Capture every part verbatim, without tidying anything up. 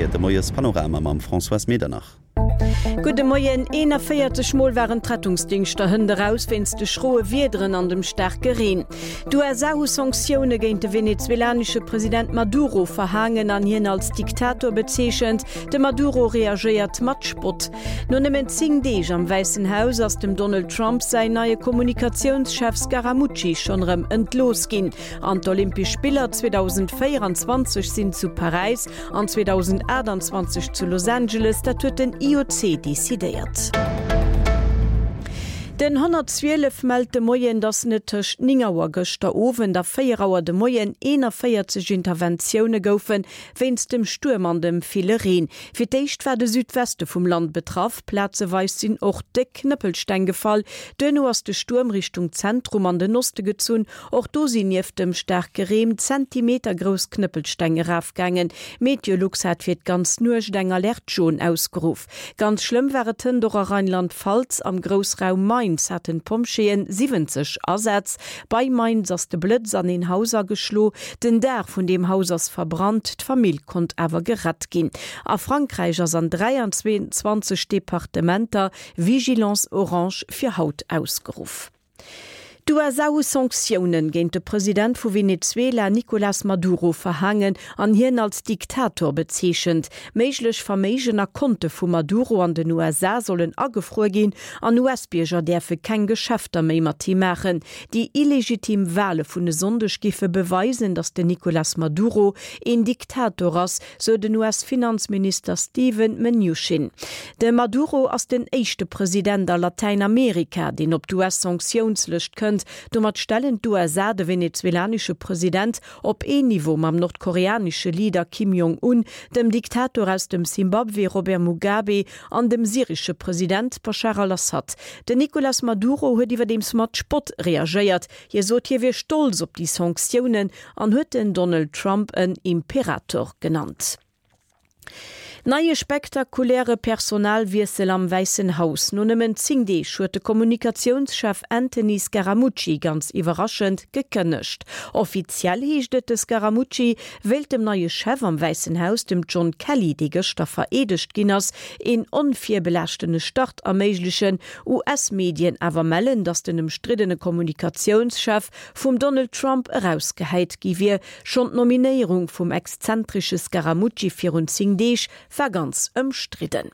Kéier de Moiespanorama mam Françoise Medernach. Gudde Moien, eenanvéierzeg Mol waren d'Rettungsdingschter hënt eraus wéinst de schroe Wiederen an dem staarke Reen. D'U S A hu Sanktioune géint de venezuelanesche President Maduro verhaangen an hien als Diktator bezeechent. De Maduro reagéiert mat Spott. No nëmmen zéng Deeg am Wäissen Haus ass dem Donald Trump säin neie Kommunikatiounschef Scaramucci schonn erëm entlooss ginn. An d'Olympesch Spiller zweedausendvéieranzwanzeg sinn zu Paräis an zweedausendaachtanzwanzeg zu Los Angeles, dat huet den I O C decidéiert. Den honnertzwielef mellt de Moien, datt et tëscht néng Auer gëschter Owend a véier Auer de Moien eenanvéierzeg Interventioune goufen, wéinst dem Stuerm an dem ville Reen. Fir d'éischt war de Südweste vum Land betraff, plazeweis sinn och déck Knëppelsteng gefall. Duerno ass de Stuerm Richtung Zentrum an den Oste gezunn, och do sinn nieft dem staarke Reen zentimetergrouss Knëppelsteng erafgaangen. Meteolux hat fir d'ganz Nuecht eng Alerte jaune ausgeruff. Ganz schlëmm war et hënt och a Rheinland-Pfalz, am Groussraum Mainz haten d'Pompjeeën siwwenzeg Asätz. Bei Mainz ass de Blëtz an een Haus ageschloen, den Daach vun deem Haus ass verbrannt, d'Famill konnt awer gerett ginn. A Frankräich ass an dräianzwanzeg Departementer Vigilance orange fir haut ausgeruff. D'U S A hu Sanktioune géint de President vu Venezuela Nicolás Maduro verhaangen an hien als Diktator bezeechent. Méiglech Verméigen a Konte vum Maduro an den U S A sollen agefruer ginn an U S-Bierger däerfe keng Geschäfter méi mat him maachen. Déi illegitim Wale vun e Sonndeg géife beweisen, datt den Nicolás Maduro een Diktator ass, sou den U S-Finanzminister Steven Mnuchin. De Maduro ass den éischte President a Latäinamerika, deen op d'U S-Sanktiounslëscht kënnt. Domat stellen d'U S A de venezuelanesche President op een Niveau mam nordkoreanesche Leader Kim Jong-un, dem Diktator aus dem Simbabwe Robert Mugabe an dem syresche President Bashar al-Assad. Den Nicolás Maduro huet iwwerdeems mat Spott reagéiert. Hie sot, hie wier stolz op déi Sanktiounen an huet den Donald Trump en Imperator genannt. Neie spektakuläre Personalwiessel am Wäissen Haus. No nëmmen zéng Deeg huet de Kommunikatiounschef Anthony Scaramucci ganz iwwerraschend gekënnegt. Offiziell heescht et, de Scaramucci wéilt dem neie Chef am Wäissen Haus, dem John Kelly, dee gëschter vereedegt ginn ass, een onvirbelaaschtene Start erméiglechen. U S-Medien awer mellen, datt den ëmstriddene Kommunikatiounschef vum Donald Trump erausgehäit gi wier. Schonn d'Nominéierung vum exzentresche Scaramucci virun zéng Deeg war ganz ëmstridden.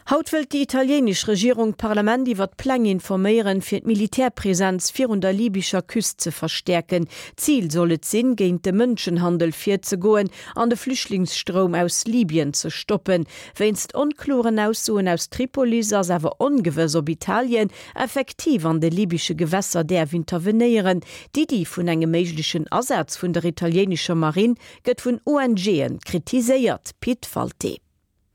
Haut wëllt déi italieenesch Regierung d'Parlament iwwer d'Pläng informéieren, fir d'Militärpresenz virun der libyscher Küst ze verstäerken. Zil soll et sinn, géint de Mënschenhandel virzegoen an de Flüchtlingsstroum aus Libyen ze stoppen. Wéinst onkloren Aussoen aus Tripolis ass awer ongewëss, ob Italien effektiv an de libysche Gewässer däerf intervenéieren. D'Iddi vun engem méiglechen Asaz vun der italieenescher Marinn gëtt vun O N G'en kritiséiert. Pit Walté.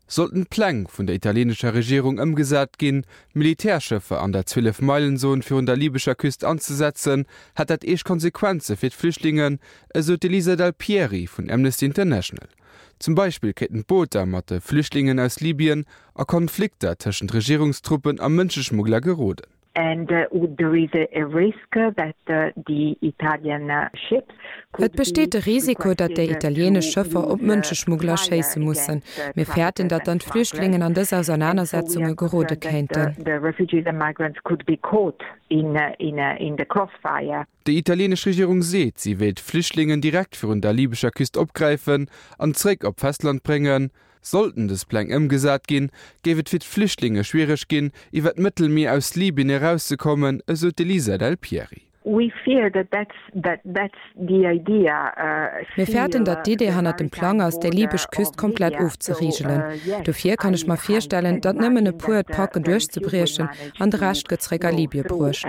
Sollten d'Pläng vun der italieenescher Regierung ëmgesat ginn, Militärschëffer an der Zwielef-Meilen-Zon virun der libyscher Küst anzesetzen, hätt dat eescht Konsequenze fir d'Flüchtlingen, esou d'Elisa Del Pieri vun Amnesty International. Zum Beispill kéinten d'Booter mat de Flüchtlingen aus Libyen a Konflikter tëschent Regierungstruppen a Mënscheschmuggler geroden. And uh, there is a, a risk that uh, the Italian uh, ships Et besteet de Risiko, datt déi italieenesch Schëffer op Mënscheschmuggler schéisse mussen. Mir fäerten, datt dann d'Flüchtlingen an dës Ausernanersetzunge gerode kéinten. The refugees and migrants could be caught in, in, in the crossfire. Déi italieenesch Regierung seet, si wéilt d'Flüchtlingen direkt virun der libyscher Küst opgräifen an zréck op d'Festland bréngen. Sollten dës Pläng ëmgesat ginn, géif et fir d'Flüchtlinge schwiereg ginn, iwwer d'Mëttelmier aus Libyen erauszekommen, esou d'Elisa Del Pieri. We fear that that's, that that's the idea, uh, Mir fäerten, datt d'Idee hannert dem Plang ass, déi libysch Küst komplett ofzerigelen. Dofir kann ech mer virstellen, datt nëmmen e puer et packen duerchzebriechen an de Rescht gëtt zréck a Libye bruecht.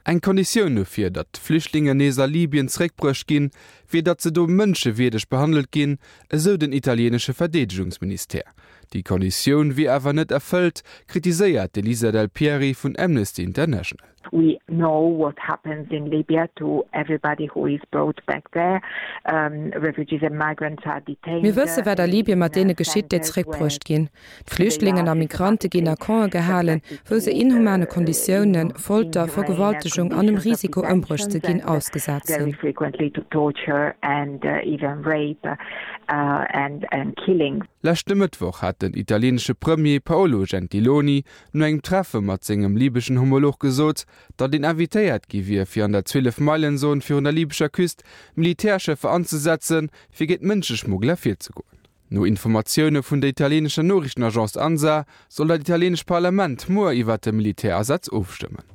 Eng Konditioun dofir, datt d'Flüchtlingen nees a Libyen zréckbruecht ginn, wier, datt se do mënschewierdeg behandelt ginn, esou den italieenesche Verdeedegungsministère. Déi Konditioun wier awer net erfëllt, kritiséiert d'Elisa Del Pieri vun Amnesty International. We know what happens in Libya to everybody who is brought back there. Refugees and migrants are detained. Mir wësse wat a Libyen mat deene geschitt, déi zeréckbruecht ginn. D'Flüchtlingen a Migrante ginn a Campe gehalen, wou se inhumane Konditiounen, Folter, Vergewaltegung an dem Risiko ëmbruecht ze ginn ausgesat sinn. Leschte Mëttwoch hat den italieenesche Premier Paolo Gentiloni no engem Treffe mat sengem libeschen Homolog gesot, datt een invitéiert gi wier, fir an der Zwielef-Meilen-Zon virun der libescher Küst Militärschëffer anzesetzen, fir géint Mënscheschmuggler virzegoen. No Informatioune vun der italieenescher Noriichtenagence Ansa soll dat italieenescht Parlament muer iwwert de Militärasaz ofstëmmen.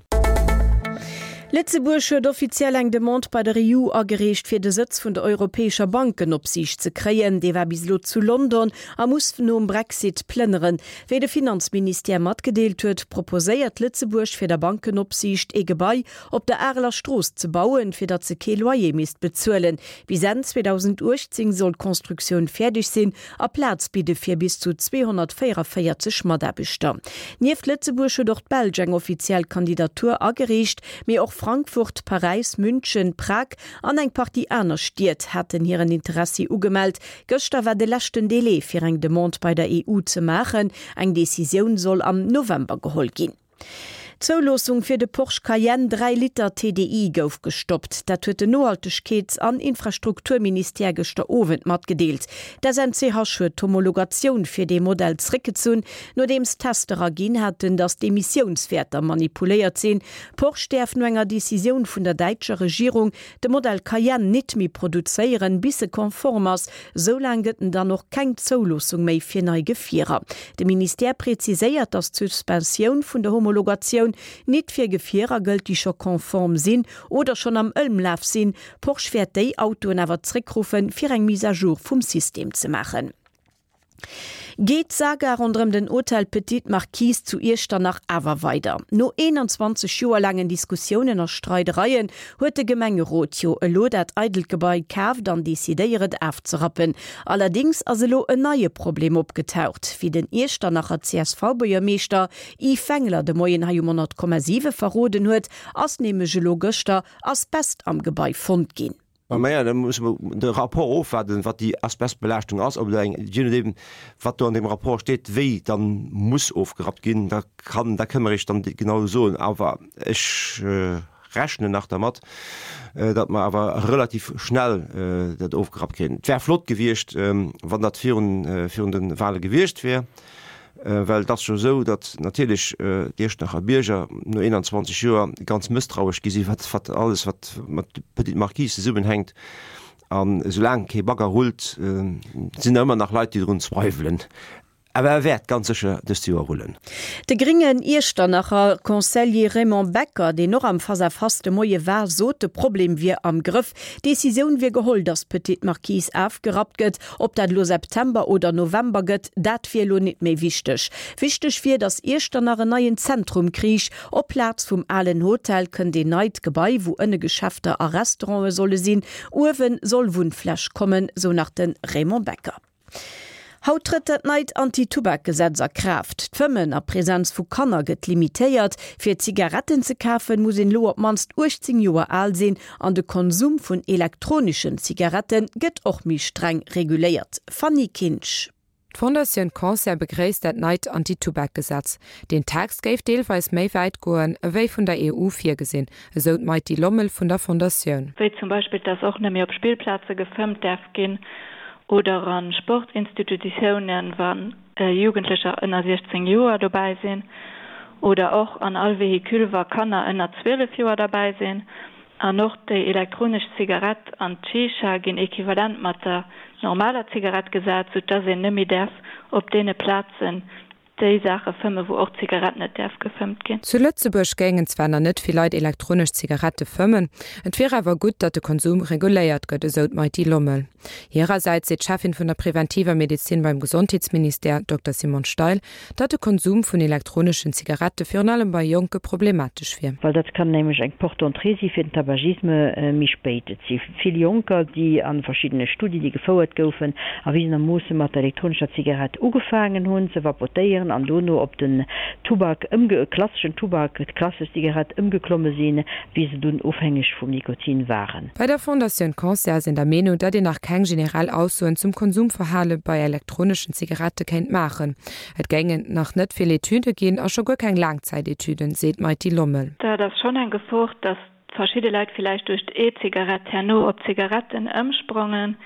Lëtzebuerg huet offiziell eng Demande bei der EU agereecht, fir de Sëtz vun der europäescher Bankenopsiicht ze kréien. Dee war bis elo zu London a muss nom Brexit plënneren. Wéi de Finanzministère matgedeelt huet, proposéiert Lëtzebuerg fir der Bankenopsiicht ee Gebai op der Areler Strooss ze bauen, fir datt se kee Loyer misst bezuelen. Bis Enn zweedausendachtzéng soll d'Constructioun fäerdeg sinn a Plaz bidde fir bis zu zweehonnertvéierunvéierzeg Mataarbechter. Nieft Lëtzebuerg huet och d'Belsch eng offiziell Kandidatur agereecht, mee och Frankfurt, Paräis, München, Prag an eng Partie aner Stied haten hiren Interessi ugemellt. Gëschter war de leschten Delai fir eng Demande bei der E U ze maachen. Eng Decisioun soll am November geholl ginn. D'Zouloossung fir de Porsche Cayenne dräi Liter T D I gouf gestoppt. Dat huet den Nohaltegkeets an Infrastrukturministère gëschter Owend matgedeelt. D'S N C H huet d'Homologatioun fir dee Modell zréckgezunn, nodeems Tester erginn haten, datt d'Emissiounswäerter manipuléiert sinn. Porsche däerf no enger Decisioun vun der däitscher Regierung de Modell Cayenne nit méi produzéieren, bis e konform ass. Soulaang gëtt en dann och keng Zouloossung méi fir nei Gefierer. De Ministère präziséiert, datt d'Suspensioun vun der Homologatioun nit fir Gefierer gëllt, déi scho konform sinn oder schonn am Ëmlaf sinn. Porsche wäert déi Autoen awer zréckruffen, fir eng Mise à jour vum System ze maachen. Geet d'Saga ronderëm den Hotel Petite Marquise zu Iechternach awer weider? No eenanzwanzeg Joer laangen Diskussiounen a Streidereien huet de Gemengerot jo elo dat eidelt Gebai kaaft an decidéiert et afzerappen. Allerdéngs ass elo en neie Problem opgetaucht. Wéi den Iechternacher C S V-Buergermeeschter Yves Wengler de Moien hei um honnert Komma siwe verroden huet, ass nämlech elo gëschter Asbest am Gebai fonnt ginn. Maja, da musse mer de Rapport ofwaarden, wat déi Asbestbelaaschtung ass, ob do eng, je nodeem wat do an deem Rapport steet, wéi dann muss ofgerappt ginn, da kann, da kënne mer Iech dann genau soen. Awer ech rechnen nach dermat, datt mer awer relativ schnell dat ofgerappt kréien. Et wär flott gewiescht, wann dat virun, virun de Wahle gewiescht wär, well et ass jo esou, datt natierlech d'Iechternacher Bierger no eenanzwanzeg Joer ganz mësstrauesch gi sinn, wat, wat alles, wat mat Petite Marquise zesummenhänkt. An esoulaang kee Bagger rullt, sinn der ëmmer nach Leit, déi drun zweiwelen. Awer e wäert ganz sécher dëst Joer rullen. De gréngen Iechternacher Conseiller Raymond Becker, deen och am Face-à-face de Moie war, sot, de Problem wier am Grëff. D'Decisioun wier geholl, datt d'Petite Marquise afgerappt gëtt. Ob dat elo September oder November gëtt, dat wier elo nit méi wichteg. Wichteg wier, datt Iechternach en neien Zentrum kriich. Op Plaz vum alen Hotel kënnt een neit Gebai, wou ënne Geschäfter a Restaurante solle sinn. Uewe soll Wunnfläch kommen, sou nach de Raymond Becker. Haut trëtt dat neit Anti-Tubak-Gesetz a Kraaft. D'Fëmmen a Presenz vu Kanner gëtt limitéiert. Fir Zigaretten ze kafen, muss een elo op d'mannst uechtzéng Joer al sinn an de Konsum vun elektroneschen Zigarette gëtt och méi streng reguléiert. Fanny Kinsch. D'Fondatioun Cancer begréisst dat neit Anti-Tubak-Gesetz. Den Text géif deelweis méi wäit goen, ewéi vun der E U virgesinn, esou d'Maity Lommel vun der Fondatioun. Wéi zum Beispill, dass och net méi op Spillplaze gefëmmt däerf ginn oder a Sportinstitutiounen, wa Jugendlecher ënner siechzéng Joer dobäi sinn, oder och an all Véhicule, wa Kanner ënner zwielef Joer derbäi sinn. An och déi elektronesch Zigarett an d'Shisha ginn equivalent mat der normaler Zigarett gesat, sou dass een net méi däerf op deene Plazen déi Saache fëmmen, wou och d'Zigarett net däerf gefëmmt ginn. Zu Lëtzebuerg géingen zwar nach net vill Leit elektronesch Zigarette fëmmen, et wier awer gutt, datt de Konsum reguléiert gëtt, esou d'Maity Lommel. Hirersäits seet d'Cheffin vun der preventiver Medezin beim Gesondheetsministère, Dokter Simone Steil, datt de Konsum vun elektroneschen Zigarette virun allem bei Jonke problematesch wier. Well dat kann nämlech eng Porte d'entrée si fir den Tabagisme méi spéit. Et si vill Jonker, déi a verschiddene Studien, déi gefouert goufen, erwisenermoosse mat der elektronescher Zigarett ugefaangen hunn ze vapotéieren, probéieren an dono op den Tubak ëmge klasseschen Tubak, d'klassesch Zigarett ëmgeklomme sinn, wéi se dunn ofhängeg vum Nikotin waren. Bei der Fondatioun Cancer ass een der Meenung, datt een nach keng generell Aussoen zum Konsumverhale bei elektroneschen Zigarette kéint maachen. Et géingen nach net vill Etüde ginn a scho guer keng Laangzäitetüden, seet d'Maity Lommel. Dat ass schonn eng Gefor, datt verschidde Leit villäicht duerch d'E-Zigarett herno op Zigaretten ëmsprangen.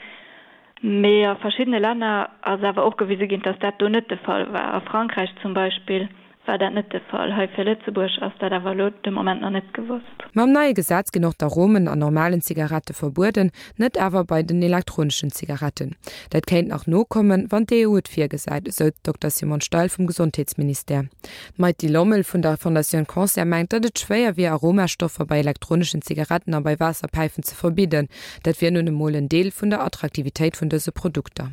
Mee a verschiddene Länner ass awer och gewise ginn, dass dat do net de Fall war. A Frankräich zum Beispill war dat net de Fall. Hei fir Lëtzebuerg ass dat awer elo de Moment nach net gewosst. Mam neie Gesetz ginn och d'Aromen an normalen Zigarette verbueden, net awer bei den elektroneschen Zigaretten. Dat kéint nach nokommen, wann d'EU et virgesäit, esou d'Dokter Simone Steil vum Gesondheetsministère. D'Maity Lommel vun der Fondatioun Cancer mengt, datt et schwéier wier, Aromastoffer bei elektroneschen Zigaretten a bei Waasserpäifen ze verbidden. Dat wier nun emol en Deel vun der Attraktivitéit vun dëse Produkter.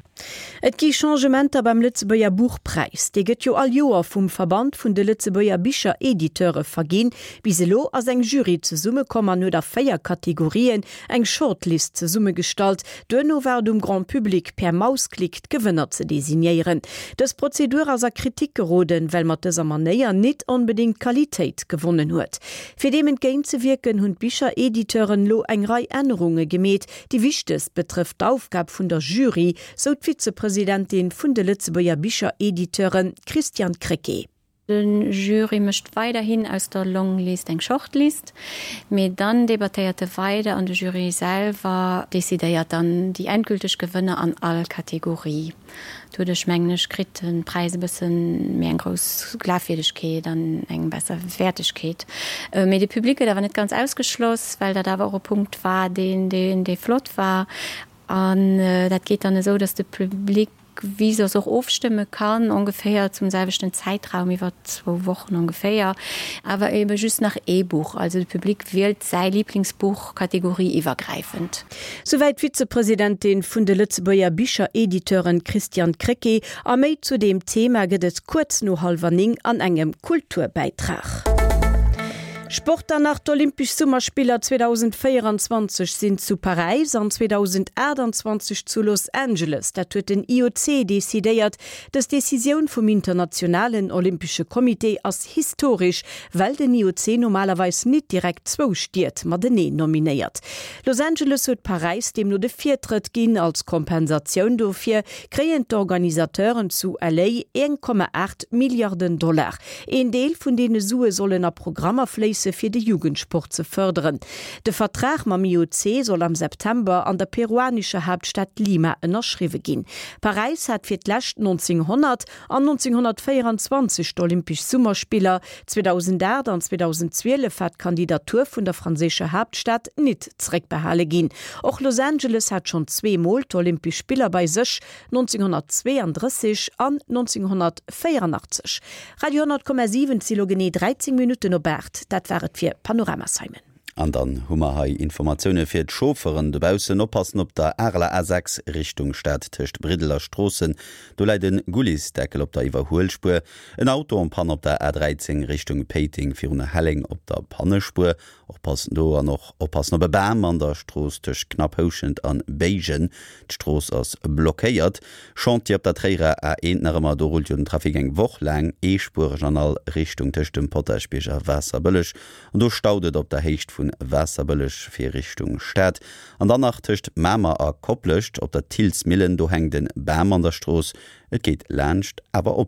Et gi Changementer beim Lëtzebuerger Buchpräis. Dee gëtt jo all Joer vum Verband vun de Lëtzebuerger Bicherediteure verginn. Bis elo ass eng Jury zesummekomm an huet a véier Kategorien eng Shortlist zesummegestallt. Duerno war et um Grand Public per Mausklick d'Gewënner ze designéieren. Dës Prozedur ass a Kritik geroden, well mat dëser Manéier nit onbedéngt Qualitéit gewonnen huet. Fir deem entgéintzewierken, hunn d'Bicherediteuren elo eng Rei Ännerunge gemeet. Déi wichtegst betrëfft d'Aufgab vun der Jury, sou d'Vizepresidentin vun de Lëtzebuerger Bicherediteuren, Christiane Krecké. De Jury mécht weiderhin aus der Longlist eng Shortlist, mee dann debattéiert e weider an de Jury selwer decidéiert dann déi endgülteg Gewënner an all Kategorie. Doduerch, mengen ech, kritt de Präis e bësse méi eng grouss Glafwierdegkeet an eng besser Wäertegkeet. Mee de Public gëtt awer net ganz ausgeschloss, well dat awer och e Punkt war, deen, dee flott war. An dat geet dann esou, dass de Public wéi soss och ofstëmme kann, ongeféier zum selwechten Zäitraum, iwwer zwou Wochen ongeféier, awer ebe just nach ee Buch. Also de Public wielt säi Liblingsbuch kategorieiwwergräifend. Souwäit d'Vizepresidentin vun de Lëtzebuerger Bicherediteuren Christiane Krecké. A méi zu deem Thema gëtt et kuerz no hallwer néng an engem Kulturbäitrag. Sport dann nach, D'Olympesch Summerspiller zweedausendvéierenzwanzeg sinn zu Paräis an zweedausendaachtenzwanzeg zu Los Angeles. Dat huet den I O C decidéiert. Dës Decisioun vum Internationalen Olympesche Comité ass historesch, well den I O C normalerweis nit direkt zwou Stied mateneen nominéiert. Los Angeles huet Paräis deemno de Virtrëtt ginn. Als Kompensatioun dofir kréien d'Organisateuren zu L A een Komma aacht Milliarden Dollar. Een Deel vun deene Sue sollen a Programmer fléisse fir de Jugendsport ze fërderen. De Vertrag mam I O C soll am September an der peruanescher Haaptstad Lima ënnerschriwwe ginn. Paräis hat fir d'lescht nonzénghonnert an nonzénghonnertvéierenzwanzeg d'Olympesch Summerspiller. zweedausendaacht an zweedausendzwielef war d'Kandidatur vun der franséischer Haaptstad nit zeréckbehale ginn. Och Los Angeles hat schonn zweemol d'Olympesch Spiller bei sech, nonzénghonnertzweeandrësseg an nonzénghonnertvéierandachtzeg. Radio honnert Komma siwen, Et si lo genee dräizéng Minutten op aacht. Dat war et fir Panorama Simon. An dann hu mer hei Informatioune fir d'Chaufferen dobaussen. Oppassen op der Areler A sechs Richtung Stad tëscht Briddel a Stroossen, do läit e Gullisdeckel op der Iwwerhuelspuer. En Auto en panne op der A dräizéng Richtung Péiteng virun Helleng op der Pannespuer. Oppassen do an och oppassen op e Bam an der Strooss tëscht Knapphouschent an Béigen. D'Strooss ass blockéiert. Chantier op der Tréierer A eent nach ëmmer, do rullt jo den Trafic eng Woch laang eespuereg an all Richtung tëscht dem Potaschbierg a Waasserbëlleg. An do staut et op der Héicht vun Waasserbëlleg fir Richtung Stad. An dann nach tëscht Mamer a Koplescht op der Thillsmillen, do hänkt e Bam an der Strooss. Et geet laanscht, awer oppassen.